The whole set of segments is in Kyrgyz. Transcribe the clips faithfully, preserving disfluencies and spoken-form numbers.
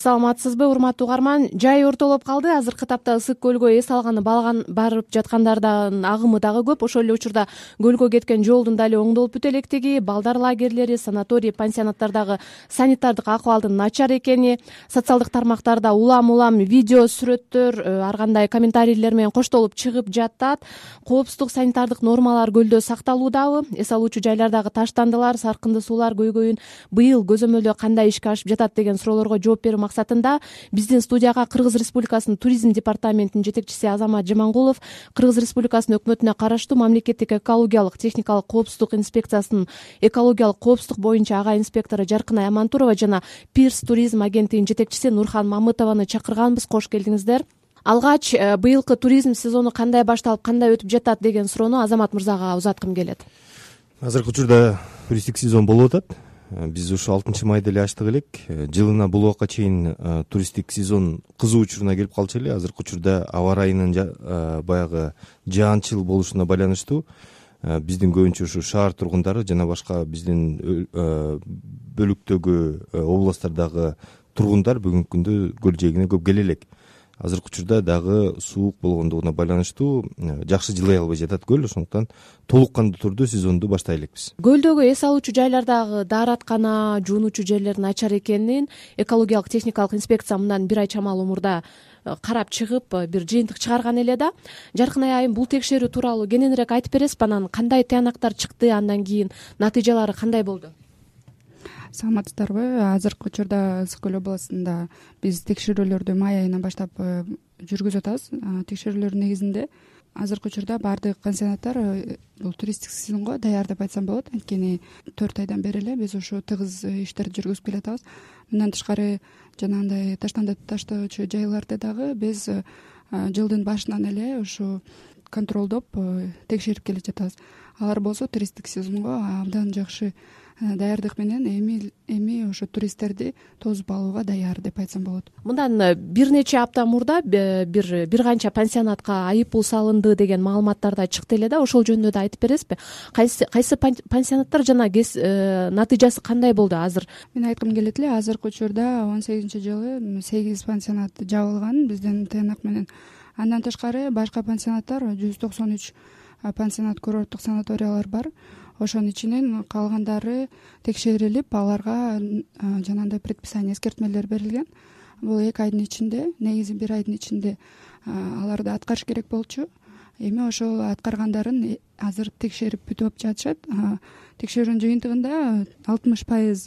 Саламатсызбы, урматтуу угарман? Жай ортолоп калды. Азыркы тапта Ысык көлгө эс алганы балган барып жаткандардын агымы дагы көп. Ошол эле учурда көлгө кеткен жолдун дали оңдолуп бүтө электиги, балдар лагерлери, санаторий, пансионаттардагы санитардык акыбалдын начар экени, социалдык тармактарда улам-улам видео, сүрөттөр, ар кандай комментарийлер менен коштолуп чыгып жатат. Коопсуздук, санитардык нормалар көлдө сакталуудабы? Эс алуучу жайлардагы таштандылар, саркынды суулар көйгөйүн быйыл көзөмөлдөө кандай ишке ашып жатат деген суроолорго жооп берүү максатында биздин студияга Кыргыз Республикасынын туризм департаментинин жетекчиси Азамат Жамангулов, Кыргыз Республикасынын өкмөтүнө караштуу мамлекеттик экологиялык техникалык коопсуздук инспекциясынын экологиялык коопсуздук боюнча ага инспектору Жаркынай Амантурова жана Пирс туризм агенттигинин жетекчиси Нурхан Мамытованы чакырганбыз. Кош келдиңиздер. Алгач быйылкы туризм сезону кандай башталып, кандай өтүп жатат деген суроону Азамат мырзага узаткым келет. Азыркы учурда туристтик сезон болуп атат. Биз ушу алтынчы майда эле ачтык элек. Жылына бул убакка чейин туристтик сезон кызуу учуруна келип калчу эле. Азыркы учурда аба ырайынын баягы жаанчыл болушуна байланыштуу биздин көбүнчө ушу шаар тургундары жана башка биздин бөлүктөгү областтардагы тургундар бүгүнкү күндө көл жээгине көп келе элек. Азыркы учурда дагы суук болгондугуна байланыштуу жакшы жылый албай жатат көл. Ошондуктан толук кандуу түрдө сезонду баштай элекпиз. Көлдөгү эс алуучу жайлардагы даараткана, жуунуучу жерлер начар экенин экологиялык техникалык инспекция мындан бир ай чамалуу мурда карап чыгып бир жыйынтык чыгарган эле да. Жаркынай айым, бул текшерүү тууралуу кененирээк айтып бересизби? Анан кандай тыянактар чыкты, андан кийин натыйжалары кандай болду? Саламатсыздарбы? Азыркы учурда Ысык көл областында биз текшерүүлөрдү май айынан баштап жүргүзүп атабыз. Текшерүүлөрдүн негизинде азыркы учурда баардык пансионаттар бул туристтик сезонго даяр деп айтсам болот. Анткени төрт айдан бери эле биз ушу тыгыз иштерди жүргүзүп келатабыз. Мындан тышкары жанагындай таштанды таштоочу жайларды дагы биз жылдын башынан эле ушу контролдоп текшерип келе жатабыз. Алар болсо туристтик сезонго абдан жакшы даярдык менен эми эми ошо туристтерди тосуп алууга даяр деп айтсам болот. Мындан бир нече апта мурда бир бир канча пансионатка айып пул салынды деген маалыматтар да чыкты эле да. Ошол жөнүндө да айтып бересизби? Кайсы кайсы пансионаттар жана натыйжасы кандай болду азыр? Мен айткым келет эле, азыркы учурда он сегизинчи жылы сегиз пансионат жабылган биздин тыянак менен. Андан тышкары башка пансионаттар жүз токсон үч пансионат, курорттук санаториялар бар. Ошонун ичинен калгандары текшерилип, аларга жанагындай предписание, эскертмелер берилген. Бул эки айдын ичинде, негизи бир айдын ичинде аларды аткарыш керек болчу. Эми ошол аткаргандарын азыр текшерип бүтүп жатышат. Текшерүүнүн жыйынтыгында алтымыш пайыз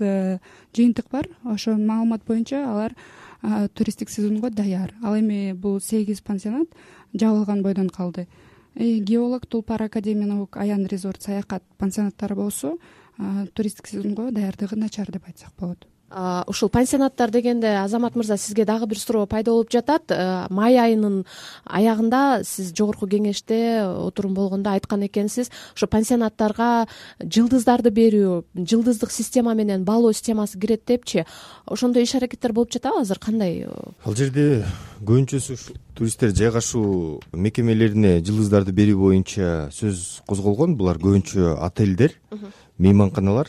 жыйынтык бар. Ошол маалымат боюнча алар туристтик сезонго даяр. Ал эми бул сегиз пансионат жабылган бойдон калды. Геолог, Тулпар академиялык аян резорт саякат пансионаттары болсо туристтик сезонго даярдыгы начар деп айтсак болот. Ушул пансионаттар дегенде, Азамат мырза, сизге дагы бир суроо пайда болуп жатат. Май айынын аягында сиз жогорку кеңеште отурум болгондо айткан экенсиз, ошо пансионаттарга жылдыздарды берүү, жылдыздык система менен баалоо системасы кирет депчи. Ошондой иш аракеттер болуп жатабы азыр? Кандай? Ал жерде көбүнчөсү туристтер жайгашуу мекемелерине жылдыздарды берүү боюнча сөз козголгон. Булар көбүнчө отелдер, мейманканалар,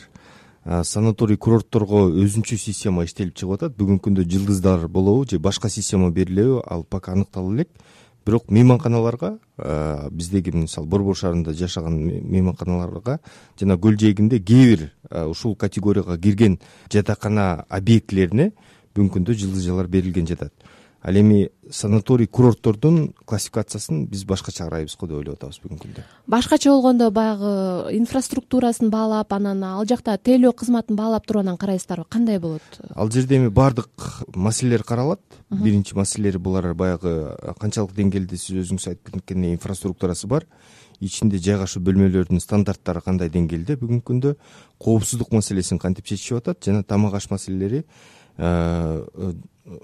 санаторий, курортторго өзүнчө система иштелип чыгып атат. Бүгүнкү күндө жылдыздар болобу же башка система берилеби, ал пока аныктала элек. Бирок мейманканаларга, биздеги мисалы Борбор шаарында жашаган мейманканаларга жана көл жээгинде кээ бир ушул категорияга кирген жатакана объектилерине бүгүнкү күндө жылдызжалар берилген жатат. Ал эми санаторий, курорттордун классификациясын биз башкача карайбыз го деп ойлоп атабыз бүгүнкү күндө. Башкача болгондо баягы инфраструктурасын баалап, анан ал жакта тейлөө кызматын баалап туруп анан карайсыздарбы? Кандай болот? Ал жерде эми баардык маселелер каралат. Биринчи маселелери булар баягы канчалык деңгээлде сиз өзүңүз айтып кеткендей инфраструктурасы бар, ичинде жайгашуу бөлмөлөрүнүн стандарттары кандай деңгээлде бүгүнкү күндө, коопсуздук маселесин кантип чечишип атат жана тамак аш маселелери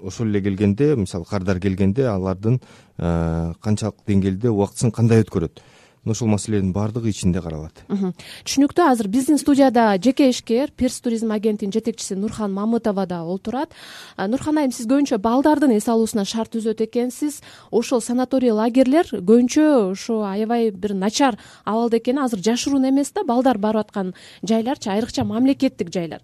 ошол эле келгенде, мисалы кардар келгенде алардын канчалык деңгээлде убактысын кандай өткөрөт. мына ошол маселенин баардыгы ичинде каралат. Түшүнүктүү. Азыр биздин студияда жеке ишкер Перс туризм агентинин жетекчиси Нурхан Мамытова да олтурат. Нурхан айым, сиз көбүнчө балдардын эс алуусуна шарт түзөт экенсиз. Ошол санаторий лагерлер көбүнчө ошо аябай бир начар абалда экени азыр жашыруун эмес да, балдар барып аткан жайларчы, айрыкча мамлекеттик жайлар.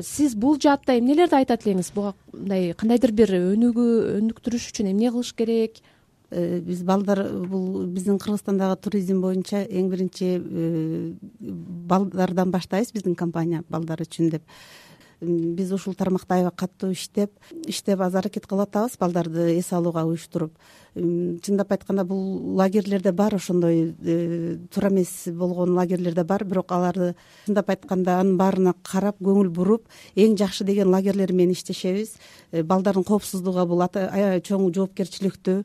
Сиз бул жаатта эмнелерди айтат элеңиз? Буга мындай кандайдыр бир өнүгүү өнүктүрүш үчүн эмне кылыш керек? Биз балдар, бул биздин Кыргызстандагы туризм боюнча эң биринчи балдардан баштайбыз, биздин компания балдар үчүн деп. Биз ушул тармакта аябай катуу иштеп иштеп аз аракет кылып атабыз балдарды эс алууга уюштуруп. Чындап айтканда бул лагерлерде бар, ошондой туура эмес болгон лагерлерде бар, бирок аларды чындап айтканда анын баарына карап көңүл буруп, эң жакшы деген лагерлер менен иштешебиз. Балдардын коопсуздугуга бул аябай чоң жоопкерчиликтүү.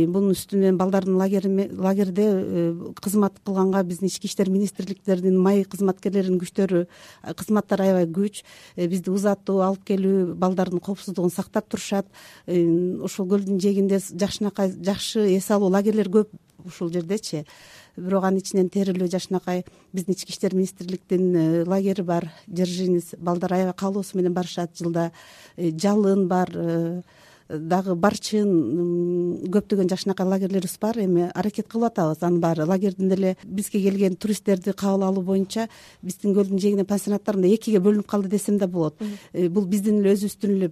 Бунун үстүнөн балдардын лагерде кызмат кылганга биздин ички иштер министрликтеринин май кызматкерлеринин күчтөрү, кызматтары аябай күч. Бизди узатуу алып келүү, балдардын коопсуздугун сактап турушат. Ошол көлдүн жээгинде жакшынакай жакшы эс алуу лагерлер көп ушул жердечи. Бирок анын ичинен Терилөө, Жакшынакай биздин ички иштер министрликтин лагери бар, Держинец. Балдар аябай каалоосу менен барышат. Жылда Жалын бар, дагы Барчын, көптөгөн жакшынакай лагерлерибиз бар. Эми аракет кылып атабыз анын баары. Лагердин деле бизге келген туристтерди кабыл алуу боюнча биздин көлдүн жээгинде пансионаттар мындай экиге бөлүнүп калды десем да болот. Бул биздин эле өзүбүздүн эле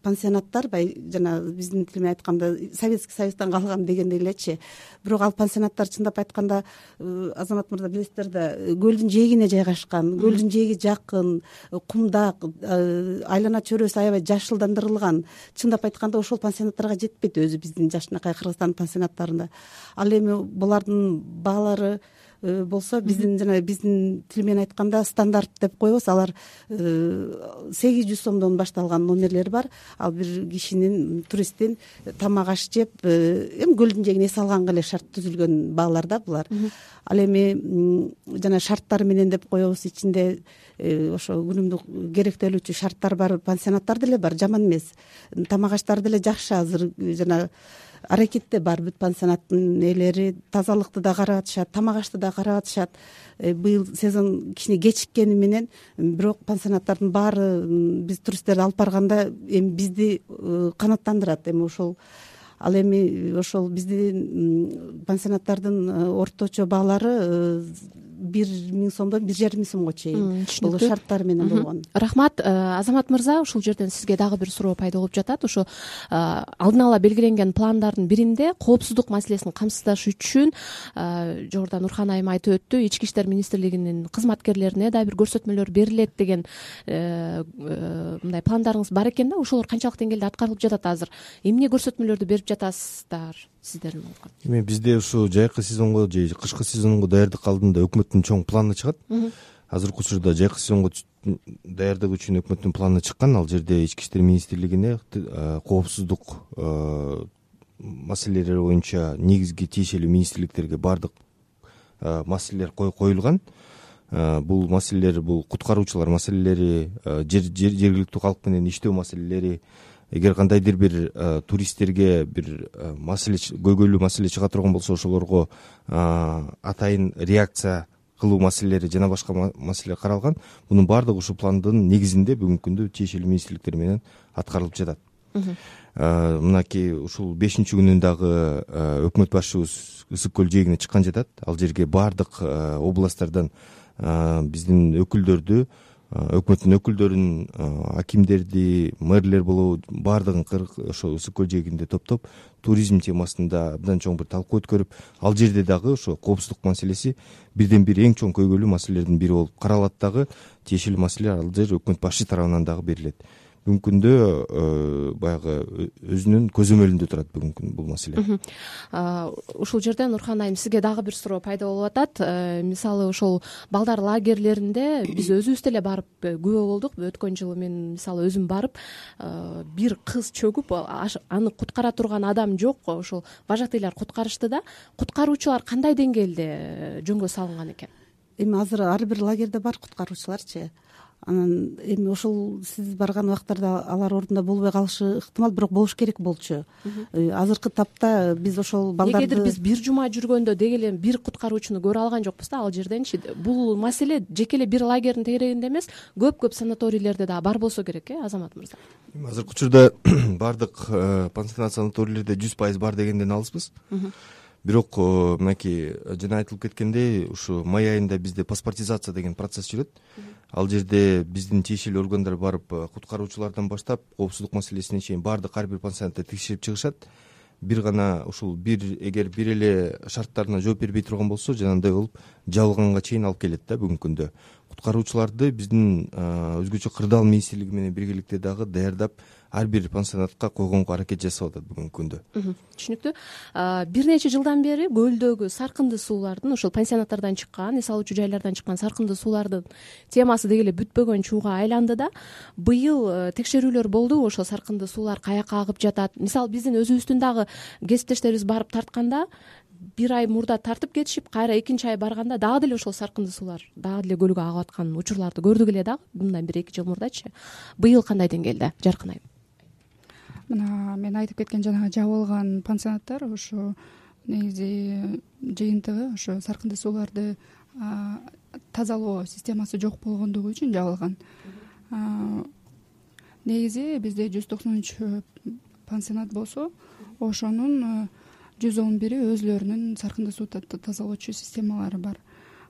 пансионаттар, бай жана биздин тил менен айтканда Советский Союздан калган дегендей элечи. Бирок ал пансионаттар чындап айтканда, Азамат мырза билесиздер да, көлдүн жээгине жайгашкан, көлдүн жээги жакын, кумдак, айлана чөйрөсү аябай жашылдандырылган. Чындап айтканда ошол пансионаттарга жетпейт өзү биздин Жакшынакай Кыргызстандын пансионаттарында. Ал эми булардын баалары болсо биздин жана биздин тил менен айтканда стандарт деп коебуз. Алар сегиз жүз сомдон башталган номерлери бар. Ал бир кишинин, туристтин тамак аш жеп, эми көлдүн жээгине эс алганга эле шарт түзүлгөн баалар да булар. Ал эми жана шарттары менен деп коебуз, ичинде ошо күнүмдүк керектелүүчү шарттар бар пансионаттар деле бар, жаман эмес. Тамак аштары деле жакшы азыр, жана аракетте бар бүт пансионаттын ээлери. Тазалыкты да карап атышат, тамак ашты да карап атышат. Быйыл сезон кичине кечиккени менен, бирок пансионаттардын баары биз туристтерди алып барганда эми бизди канааттандырат. Эми ошол ал эми ошол биздин пансионаттардын орточо баалары бир миң сомдон бир жарым миң сомго чейин. Бул шарттары менен болгон. Рахмат. Азамат мырза, ушул жерден сизге дагы бир суроо пайда болуп жатат. Ошо алдын ала белгиленген пландардын биринде коопсуздук маселесин камсыздаш үчүн жогоруда Нурхан айым айтып өттү, ички иштер министрлигинин кызматкерлерине да бир көрсөтмөлөр берилет деген мындай пландарыңыз бар экен да. Ошолор канчалык деңгээлде аткарылып жатат азыр? Эмне көрсөтмөлөрдү берип жатасыздар сиздердин? Эми бизде ушу жайкы сезонго же кышкы сезонго даярдык алдында өкмөттүн чоң планы чыгат. Азыркы учурда жайкы сезонго даярдык үчүн өкмөттүн планы чыккан. Ал жерде ички иштер министрлигине коопсуздук маселелери боюнча негизги тиешелүү министрликтерге баардык маселелер коюлган. Бул маселелер, бул куткаруучулар маселелери, жергиликтүү калк менен иштөө маселелери. Эгер кандайдыр бир туристтерге бир маселе, көйгөйлүү маселе чыга турган болсо, ошолорго атайын реакция кылуу маселелери жана башка маселе каралган. Мунун баардыгы ушул пландын негизинде бүгүнкү күндө тиешелүү министрликтер менен аткарылып жатат. Мынакей ушул бешинчи күнүн дагы өкмөт башчыбыз Ысык көл жээгине чыккан жатат. Ал жерге баардык областтардан биздин өкүлдөрдү, өкмөттүн өкүлдөрүн, акимдерди, мэрлер болобу баардыгын ошо Ысык көл жээгинде топтоп, туризм темасында абдан чоң бир талкуу өткөрүп, ал жерде дагы ошо коопсуздук маселеси бирден бир эң чоң көйгөйлүү маселелердин бири болуп каралат. Дагы тиешелүү маселе ал жер өкмөт башчы тарабынан дагы берилет. Бүгүнкү күндө баягы өзүнүн көзөмөлүндө турат бүгүнкү күн бул маселе. Ушул жерде Нурхан айым, сизге дагы бир суроо пайда болуп атат. Мисалы ошол балдар лагерлеринде биз өзүбүз деле барып күбө болдук. Өткөн жылы мен мисалы өзүм барып, бир кыз чөгүп, аны куткара турган адам жок. Ошол вожатыйлар куткарышты да. Куткаруучулар кандай деңгээлде жөнгө салынган экен? Эми азыр ар бир лагерде бар куткаруучуларчы. анан эми ошол сиз барган убактарда алар ордунда болбой калышы ыктымал, бирок болуш керек болчу. Азыркы тапта биз ошол балдарды эгерде биз бир жума жүргөндө деги эле бир куткаруучуну көрө алган жокпуз да ал жерденчи. Бул маселе жеке эле бир лагердин тегерегинде эмес, көп-көп санаторийлерде дагы бар болсо керек, э Азамат мырза? Азыркы учурда баардык пансионат санаторийлерде жүз пайыз бар дегенден алыспыз. Бирок мынакей жана айтылып кеткендей, ушу май айында бизде паспортизация деген процесс жүрөт. Ал жерде биздин тиешелүү органдар барып куткаруучулардан баштап коопсуздук маселесине чейин баардык ар бир пансионатты текшерип чыгышат. Бир гана ушул бир эгер бир эле шарттарына жооп бербей турган болсо, жанагындай болуп жабылганга чейин алып келет да бүгүнкү күндө. Куткаруучуларды биздин өзгөчө кырдаал министрлиги менен биргеликте дагы даярдап ар бир пансионатка койгонго аракет жасап атат бүгүнкү күндө. Түшүнүктүү. Бир нече жылдан бери көлдөгү саркынды суулардын, ошол пансионаттардан чыккан, эс алуучу жайлардан чыккан саркынды суулардын темасы деги эле бүтпөгөн чууга айланды да. Быйыл текшерүүлөр болду, ошол саркынды суулар каяка агып жатат. Мисалы биздин өзүбүздүн дагы кесиптештерибиз барып тартканда, бир ай мурда тартып кетишип, кайра экинчи ай барганда дагы деле ошол саркынды суулар дагы деле көлгө агып аткан учурларды көрдүк эле дагы, мындан бир эки жыл мурдачы. Быйыл кандай деңгээлде, Жаркын айым? Мына мен айтып кеткен жанагы жабылган пансионаттар ошо негизи жыйынтыгы ошо саркынды сууларды тазалоо системасы жок болгондугу үчүн жабылган. Негизи бизде жүз токсон үч пансионат болсо, ошонун жүз он бири өзүлөрүнүн саркынды суу тазалоочу системалары бар.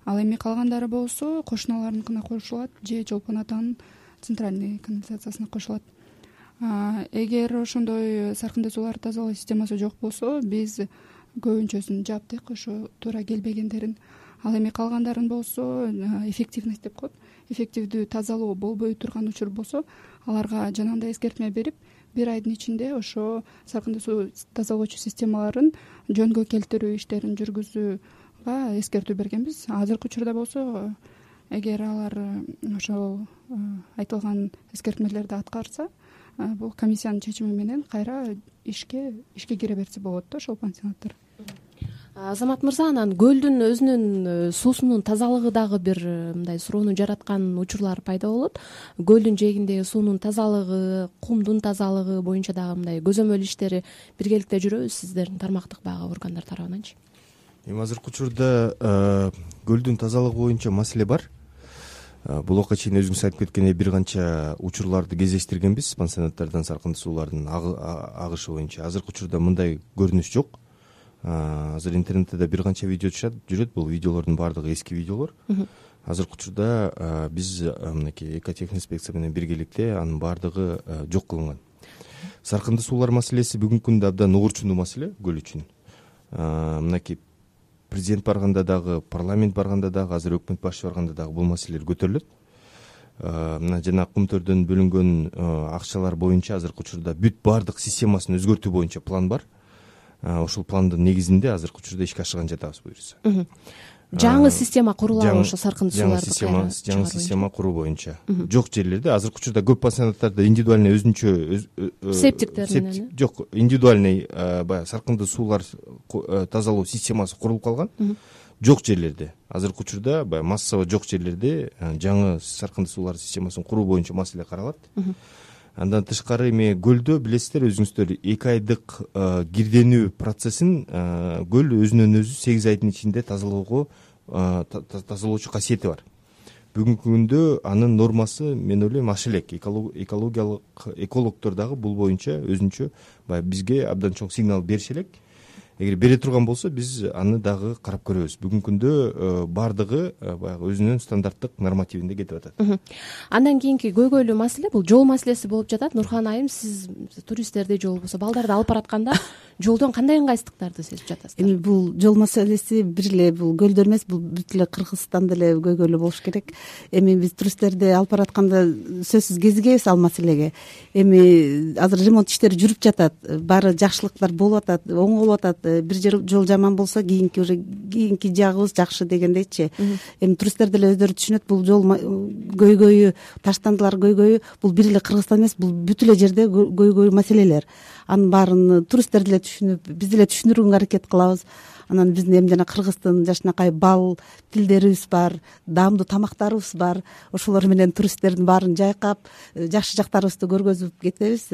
Ал эми калгандары болсо кошуналарыныкына кошулат же Чолпон атанын центральный канализациясына кошулат. Эгер ошондой саркынды сууларды тазалоо системасы жок болсо, биз көбүнчөсүн жаптык, ошо туура келбегендерин. Ал эми калгандарын болсо эффективность деп коет. Эффективдүү тазалоо болбой турган учур болсо, аларга жанагындай эскертме берип, бир айдын ичинде ошо саркынды суу тазалоочу системаларын жөнгө келтирүү иштерин жүргүзүүгө эскертүү бергенбиз. Азыркы учурда болсо, эгер алар ошол айтылган эскертмелерди аткарса, бул комиссиянын чечими менен кайра ишке ишке кире берсе болот да ошол пансионаттар. Азамат мырза, анан көлдүн өзүнүн суусунун тазалыгы дагы бир мындай суроону жараткан учурлар пайда болот. Көлдүн жээгиндеги суунун тазалыгы, кумдун тазалыгы боюнча дагы мындай көзөмөл иштери биргеликте жүрөбүз сиздердин тармактык баягы органдар тарабынанчы. Эми азыркы учурда көлдүн тазалыгы боюнча маселе бар. Булакка чейин өзүңүз айтып кеткендей бир канча учурларды кезештиргенбиз пансионаттардан саркынды суулардын агышы боюнча. Азыркы учурда мындай көрүнүш жок. Азыр интернетте да бир канча видео жүрөт. Бул видеолордун баардыгы эски видеолор. Азыркы учурда биз мынакей экотехинспекция менен биргеликте анын баардыгы жок кылынган. Саркынды суулар маселеси бүгүнкү күндө абдан угурчундуу маселе көл үчүн. Мынакей президент барганда дагы, парламент барганда дагы, азыр өкмөт башчы барганда дагы бул маселелер көтөрүлөт. Мына жана кумтөрдөн бөлүнгөн акчалар боюнча азыркы учурда бүт баардык системасын өзгөртүү боюнча план бар. Ошол пландын негизинде азыркы учурда ишке ашырган жатабыз буюрса. Жаңы система курулабы ошо саркынды сууларды кайра? Жаңы система куруу боюнча. Жок жерлерде азыркы учурда көп пансионаттарда индивидуальный өзүнчө септиктер менен жок, индивидуальный баягы саркынды суулар тазалоо системасы курулуп калган. Жок жерлерде азыркы учурда баягы массово жок жерлерде жаңы саркынды суулар системасын куруу боюнча маселе каралат. Андан тышкары эми көлдө билесиздер өзүңүздөр эки айдык кирденүү процессин көл өзүнөн өзү сегиз айдын ичинде тазалоого тазалоочу касиети бар. Бүгүнкү күндө анын нормасы мен ойлойм аша элек. Экологиялык экологдор дагы бул боюнча өзүнчө баягы бизге абдан чоң сигнал бериши элек. Эгер бере турган болсо биз аны дагы карап көрөбүз. Бүгүнкү күндө баардыгы баягы өзүнүн стандарттык нормативинде кетип атат. Андан кийинки көйгөйлүү маселе бул жол маселеси болуп жатат. Нурхан айым, сиз туристтерди же болбосо балдарды алып баратканда жолдон кандай ыңгайсыздыктарды сезип жатасыздар? Эми бул жол маселеси бир эле бул көлдө эмес, бул бүт эле Кыргызстанда эле көйгөйлүү болуш керек. Эми биз туристтерди алып баратканда сөзсүз кезигебиз ал маселеге. Эми азыр ремонт иштери жүрүп жатат, баары жакшылыктар болуп атат, оңолуп атат. Бир жол жаман болсо кийинки уже кийинки жагыбыз жакшы дегендейчи. Эми туристтер деле өздөрү түшүнөт, бул жол көйгөйү, таштандылар көйгөйү бул бир эле Кыргызстан эмес, бул бүт эле жерде көйгөй маселелер. Анын баарын туристтер деле түшүнүп, биз деле түшүндүрүүгө аракет кылабыз. анан биздин эми жана кыргыздын жакшынакай бал тилдерибиз бар, даамдуу тамактарыбыз бар. Ошолор менен туристтердин баарын жайкап жакшы жактарыбызды көргөзүп кетебиз.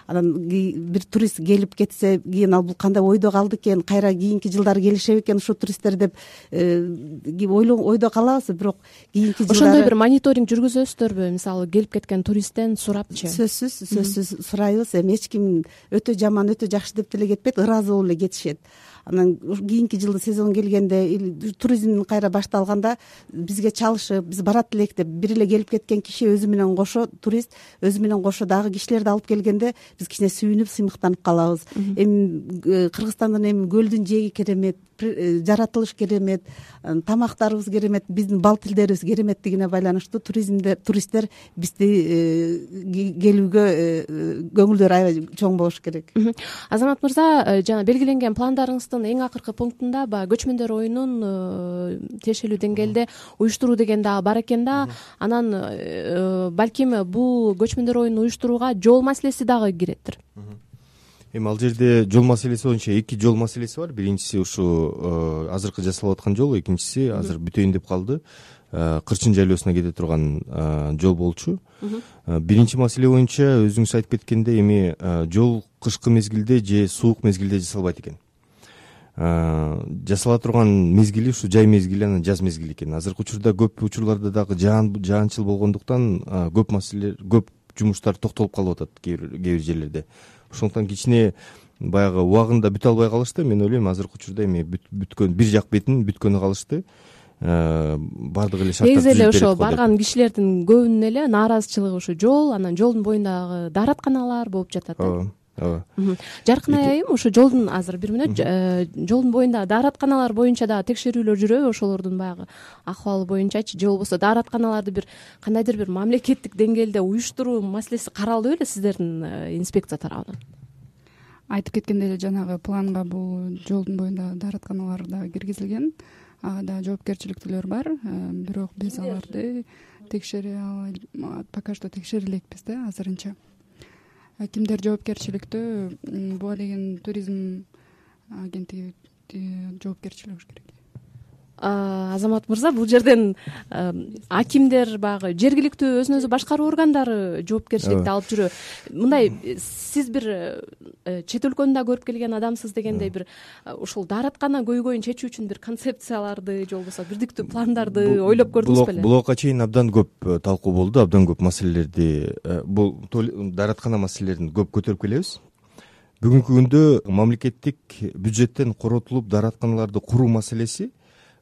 Анан бир турист келип кетсе кийин ал бул кандай ойдо калды экен, кайра кийинки жылдары келишеби экен ушул туристтер деп ойдо калабыз. Бирок кийинки жылдары ошондой бир мониторинг жүргүзөсүздөрбү? Мисалы келип кеткен туристтен сурапчы. Сөзсүз сөзсүз сурайбыз. Эми эч ким өтө жаман, өтө жакшы деп деле кетпейт, ыраазы болуп эле кетишет. Анан кийинки жылдын сезон келгенде, туризм кайра башталганда бизге чалышып, биз барат элек деп бир эле келип кеткен киши өзү менен кошо, турист өзү менен кошо дагы кишилерди алып келгенде биз кичине сүйүнүп, сыймыктанып калабыз. Эми Кыргызстандын эми көлдүн жээги керемет, жаратылыш керемет, тамактарыбыз керемет, биздин бал тилдерибиз кереметтигине байланыштуу туризмде туристтер бизди келүүгө көңүлдөрү аябай чоң болуш керек. Азамат мырза, жана белгиленген пландарыңыздын эң акыркы пунктунда баягы көчмөндөр оюнун тиешелүү деңгээлде уюштуруу деген дагы бар экен да. Анан балким бул көчмөндөр оюнун уюштурууга жол маселеси дагы киреттир. Эми ал жерде жол маселеси боюнча эки жол маселеси бар. Биринчиси ушу азыркы жасалып аткан жол, экинчиси азыр бүтөйүн деп калды. Кырчын жайлоосуна кете турган жол болчу. Биринчи маселе боюнча өзүңүз айтып кеткендей, эми жол кышкы мезгилде же суук мезгилде жасалбайт экен. Жасала турган мезгили ушу жай мезгили, анан жаз мезгили экен. Азыркы учурда көп учурларда дагы жаанчыл болгондуктан көп маселе, көп жумуштар токтолуп калып атат кээ бир жерлерде. Ошондуктан кичине баягы убагында бүтө албай калышты. Мен ойлойм, азыркы учурда эми бүткөн бир жак бетин бүткөнү калышты. Бардык эле шарттар негизи эле ошо барган кишилердин көбүнүн эле нааразычылыгы ушу жол, анан жолдун боюндагы дааратканалар болуп жатат. Ооба, ооба. Жаркын айым, ошо жолдун азыр бир мүнөт жолдун боюндагы дааратканалар боюнча дагы текшерүүлөр жүрөбү? Ошолордун баягы акыбалы боюнчачы, же болбосо дааратканаларды бир кандайдыр бир мамлекеттик деңгээлде уюштуруу маселеси каралдыбы эле сиздердин инспекция тарабынан? Айтып кеткендей эле жанагы планга бул жолдун боюндагы дааратканалар дагы киргизилген. Ага да жоопкерчиликтүүлөр бар, бирок биз аларды текшере албай, пока что текшере элекпиз да азырынча. Кимдер жоопкерчиликтүү? Буга деген туризм агенттиги жоопкерчилиги болуш керек. Азамат мырза, бул жерден акимдер, баягы жергиликтүү өзүн өзү башкаруу органдары жоопкерчиликти алып жүрөбү? Мындай, сиз бир чет өлкөнү да көрүп келген адамсыз дегендей, бир ушул даараткана көйгөйүн чечүү үчүн бир концепцияларды же болбосо бирдиктүү пландарды ойлоп көрдүңүз беле? Буга чейин абдан көп талкуу болду, абдан көп маселелерди, бул даараткана маселелерин көп көтөрүп келебиз. Бүгүнкү күндө мамлекеттик бюджеттен коротулуп дааратканаларды куруу маселеси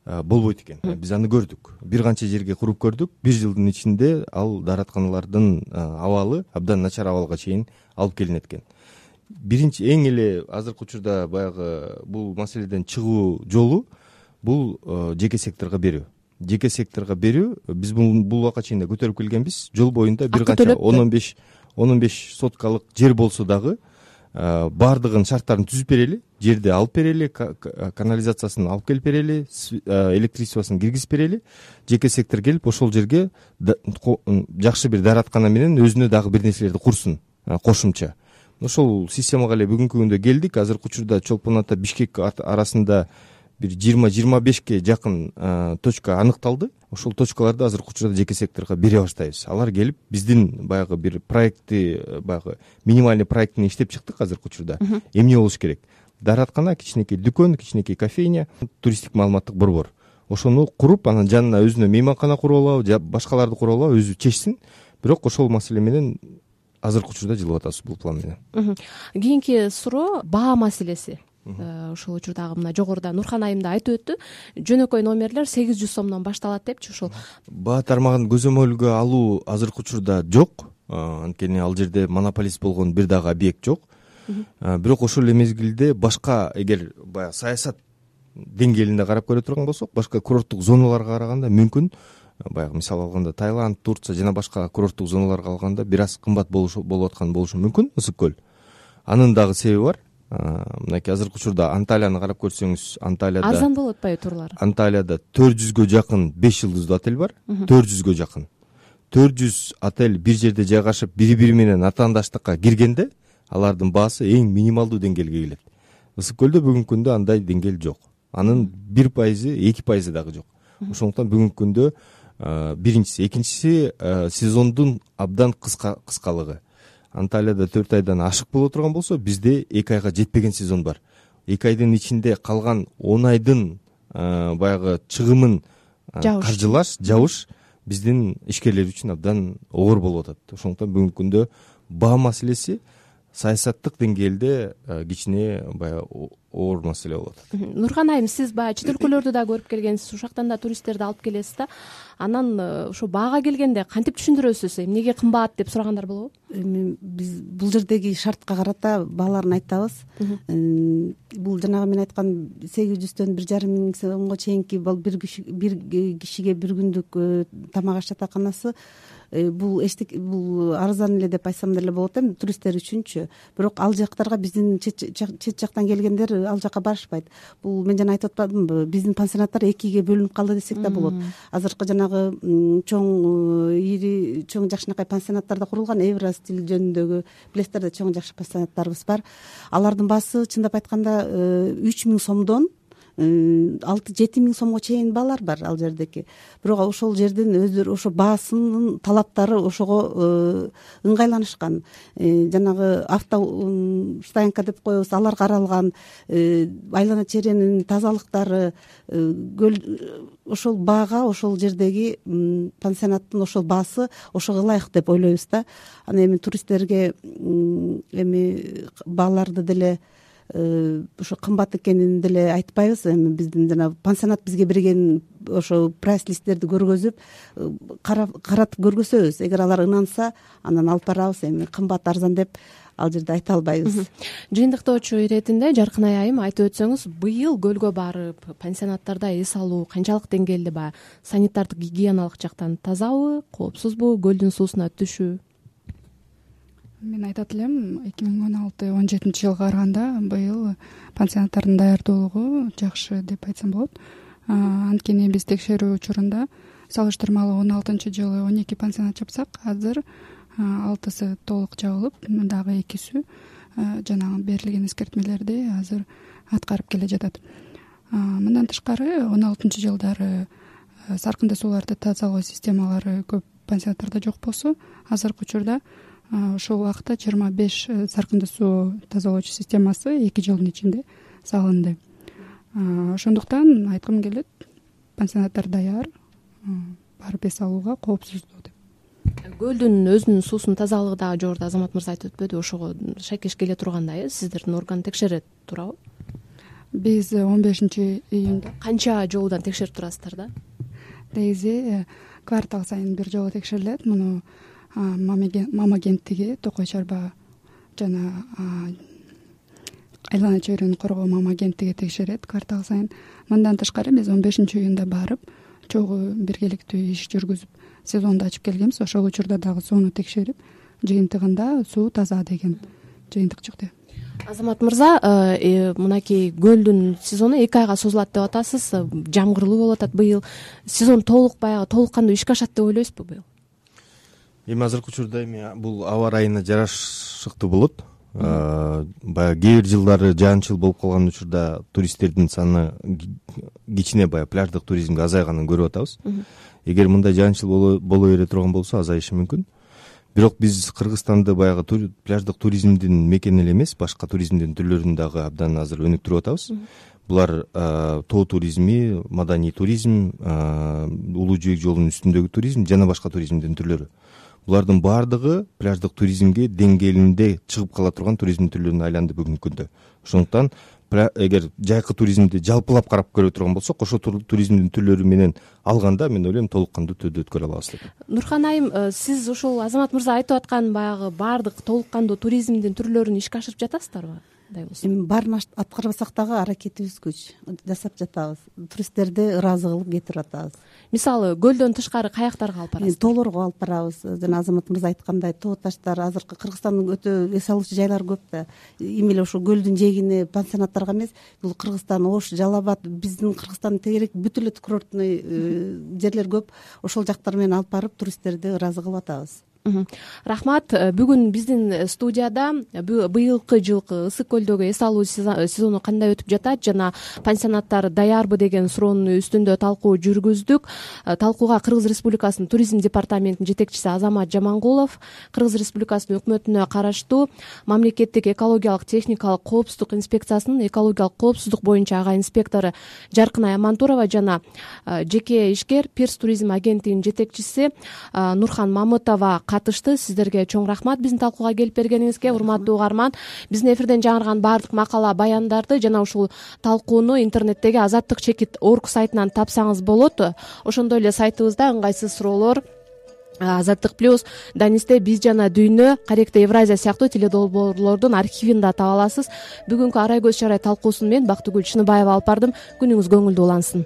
болбойт экен. Биз аны көрдүк. Бир канча жерге куруп көрдүк. Бир жылдын ичинде ал дааратканалардын абалы абдан начар абалга чейин алып келинет экен. Биринчи эң эле азыркы учурда баягы бул маселеден чыгуу жолу бул жеке секторго берүү. Жеке секторго берүү. Биз бул убакка чейин да көтөрүп келгенбиз. Жол боюнда бир канча он он беш он он беш соткалык жер болсо дагы баардыгын шарттарын түзүп берели, жерди алып берели, канализациясын алып келип берели, электричествосын киргизип берели. Жеке сектор келип ошол жерге жакшы бир даараткана менен өзүнө дагы бир нерселерди курсун кошумча. Ошол системага эле бүгүнкү күндө келдик. Азыркы учурда Чолпон Ата Бишкек арасында бир жыйырма жыйырма бешке жакын точка аныкталды. Ошол точкаларды азыркы учурда жеке секторго бере баштайбыз. Алар келип биздин баягы бир проектти, баягы минимальный проектин иштеп чыктык азыркы учурда. Эмне болуш керек? Даараткана, кичинекей дүкөн, кичинекей кофейня, туристтик маалыматтык борбор. Ошону куруп, анан жанына өзүнө мейманкана куруп алабы, же башкаларды куруп алабы, өзү чечсин. Бирок ошол маселе менен азыркы учурда жылып атабыз бул план менен. Кийинки суроо баа маселеси. Ошол учурдагы мына жогоруда Нурхан айым да айтып өттү. Жөнөкөй номерлер сегиз жүз сомдон башталат депчи. Ошол баа тармагын көзөмөлгө алуу азыркы учурда жок. Анткени ал жерде монополист болгон бир дагы объект жок. Бирок ошол эле мезгилде башка, эгер баягы саясат деңгээлинде карап көрө турган болсок, башка курорттук зоналарга караганда мүмкүн, баягы мисал алганда Таиланд, Турция жана башка курорттук зоналарга алганда бир аз кымбат болуп аткан болушу мүмкүн Ысык көл. Анын дагы себеби бар. Мынакей азыркы учурда Анталияны карап көрсөңүз, Анталияда арзан болуп атпайбы турлар? Анталияда төрт жүзгө жакын беш жылдыздуу отель бар. төрт жүзгө жакын. төрт жүз отель бир жерде жайгашып, бири-бири менен атаандаштыкка киргенде, алардын баасы эң минималдуу деңгээлге келет. Ысык көлдө бүгүнкү күндө андай деңгээл жок. анын бир пайызы эки пайызы дагы жок. Ошондуктан бүгүнкү күндө биринчиси, экинчиси сезондун абдан кыска кыскалыгы. Анталияда төрт айдан ашык боло турган болсо, бизде эки айга жетпеген сезон бар. эки айдын ичинде калган он айдын баягы чыгымын каржылаш, жабыш биздин ишкерлер үчүн абдан оор болуп атат. Ошондуктан бүгүнкү күндө баа маселеси саясаттык деңгээлде кичине баягы оор маселе болуп атат. Нурхан айым, сиз баягы чет өлкөлөрдү да көрүп келгенсиз, ушактан да туристтерди алып келесиз да. Анан ошо баага келгенде кантип түшүндүрөсүз? Эмнеге кымбат деп сурагандар болобу? Эми биз бул жердеги шартка карата бааларын айтабыз. Бул жанагы мен айткан сегиз жүздөн бир жарым миң сомго чейинки бир кишиге бир күндүк тамак аш жатаканасы бул эчтеке, бул арзан эле деп айтсам деле болот эми туристтер үчүнчү. Бирок ал жактарга биздин чет жактан келгендер ал жака барышпайт. Бул мен жана айтып атпадымбы, биздин пансионаттар экиге бөлүнүп калды десек да болот. Азыркы жанагы чоң ири чоң жакшынакай пансионаттарда курулган Евро стиль жөнүндөгү, билесиздер да, чоң жакшы пансионаттарыбыз бар. Алардын баасы чындап айтканда үч миң сомдон алты жети миң сомго чейин баалар бар ал жердеки. Бирок ошол жердин өздөрү ошо баасынын талаптары ошого ыңгайланышкан. Жанагы автостоянка деп коебуз, алар каралган, айлана чээренин тазалыктары, ошол баага, ошол жердеги пансионаттын ошол баасы ошого ылайык деп ойлойбуз да. Аны эми туристтерге эми бааларды деле ошо кымбат экенин деле айтпайбыз. Эми биздин жана пансионат бизге берген ошо прайс листтерди көргөзүп, каратып көргөзөбүз. Эгер алар ынанса, анан алып барабыз. Эми кымбат арзан деп ал жерде айта албайбыз. Жыйынтыктоочу иретинде Жаркынай айым айтып өтсөңүз, быйыл көлгө барып пансионаттарда эс алуу канчалык деңгээлде, баягы санитардык гигиеналык жактан тазабы, коопсузбу, көлдүн суусуна түшүү? Мен айтат элем, эки миң он алты он жетинчи жылга караганда быйыл пансионаттардын даярдуулугу жакшы деп айтсам болот. Анткени биз текшерүү учурунда салыштырмалуу он алтынчы жылы он эки пансионат жапсак, азыр алтысы толук жабылып, дагы экиси жанагы берилген эскертмелерди азыр аткарып келе жатат. Мындан тышкары он алтынчы жылдары саркынды сууларды тазалоо системалары көп пансионаттарда жок болсо, азыркы учурда ошол убакта жыйырма беш саркынды суу тазалоочу системасы эки жылдын ичинде салынды. Ошондуктан айткым келет, пансионаттар даяр, барып эс алууга коопсуздуу деп. Көлдүн өзүнүн суусунун тазалыгы дагы жогоруда Азамат мырза айтып өтпөдү, ошого шайкеш келе тургандай, э сиздердин орган текшерет туурабы? Биз он бешинчи июнда канча жолудан текшерип турасыздар да? Негизи квартал сайын бир жолу текшерилет. Муну мама кенттиги Токой Чарба жана айлана чөйрөнү коргоо мама кенттиги текшерет квартал сайын. Мындан тышкары биз он бешинчи июнда барып, чогуу биргеликтүү иш жүргүзүп, сезонду ачып келгенбиз. Ошол учурда дагы сууну текшерип, жыйынтыгында суу таза деген жыйынтык чыкты. Азамат мырза, мынакей көлдүн сезону эки айга созулат деп атасыз. Жамгырлуу болуп атат быйыл. Сезон толук баягы толук кандуу ишке ашат деп ойлойсузбу быйыл? Эми азыркы учурда эми бул аба ырайына жарашыктуу болот. Баягы кээ бир жылдары жаан-чыл болуп калган учурда туристтердин саны кичине баягы пляждык туризмге азайганын көрүп атабыз. Эгер мындай жаан-чыл боло бере турган болсо азайышы мүмкүн. Бирок биз Кыргызстанды баягы пляждык туризмдин мекени эле эмес, башка туризмдин түрлөрүн дагы абдан азыр өнүктүрүп атабыз. Булар тоо туризми, маданий туризм, улуу жибек жолунун үстүндөгү туризм жана башка туризмдин түрлөрү. Булардын баардыгы пляждык туризмге деңгээлинде чыгып кала турган туризм түрлөрүнө айланды бүгүнкү күндө. Ошондуктан эгер жайкы туризмди жалпылап карап көрө турган болсок, ошол туризмдин түрлөрү менен алганда мен ойлойм толук кандуу түрдө өткөрө алабыз деп. Нурхан айым, сиз ошол Азамат мырза айтып аткан баягы баардык толук кандуу туризмдин түрлөрүн ишке ашырып жатасыздарбы? Эми баарын аткарбасак дагы аракетибиз күч жасап жатабыз. Туристтерди ыраазы кылып кетирип атабыз. Мисалы, көлдөн тышкары каяктарга алып барасыз? Тоолорго алып барабыз. Жана Азамат мырза айткандай, тоо таштар, азыркы Кыргызстандын өтө эс алуучу жайлары көп да. Эми эле ошо көлдүн жээгине пансионаттарга эмес, бул Кыргызстан, Ош, Жалал Абад, биздин Кыргызстандын тегерек бүт эле курортный жерлер көп. Ошол жактар менен алып барып туристтерди ыраазы кылып атабыз. Рахмат. Бүгүн биздин студияда быйылкы жылкы ысык көлдөгү эс алуу сезону кандай өтүп жатат жана пансионаттар даярбы деген суроонун үстүндө талкуу жүргүздүк. Талкууга Кыргыз Республикасынын туризм департаментинин жетекчиси Азамат Жамангулов, Кыргыз Республикасынын өкмөтүнө караштуу мамлекеттик экологиялык техникалык коопсуздук инспекциясынын экологиялык коопсуздук боюнча ага инспектору Жаркынай Амантурова жана жеке ишкер Пирс туризм агенттигинин жетекчиси Нурхан Мамытова катышты. Сиздерге чоң рахмат биздин талкууга келип бергениңизге. Урматтуу угарман, биздин эфирден жаңырган баардык макала баяндарды жана ушул талкууну интернеттеги азаттык чекит орг сайтынан тапсаңыз болот. Ошондой эле сайтыбызда ыңгайсыз суроолор, Азаттык плюс, Данисте, Биз жана Дүйнө, Каректе Евразия сыяктуу теледолбоорлордун архивин да таба аласыз. Бүгүнкү Арай көз чарай талкуусун мен Бактыгүл Чыныбаева алып бардым. Күнүңүз көңүлдүү улансын.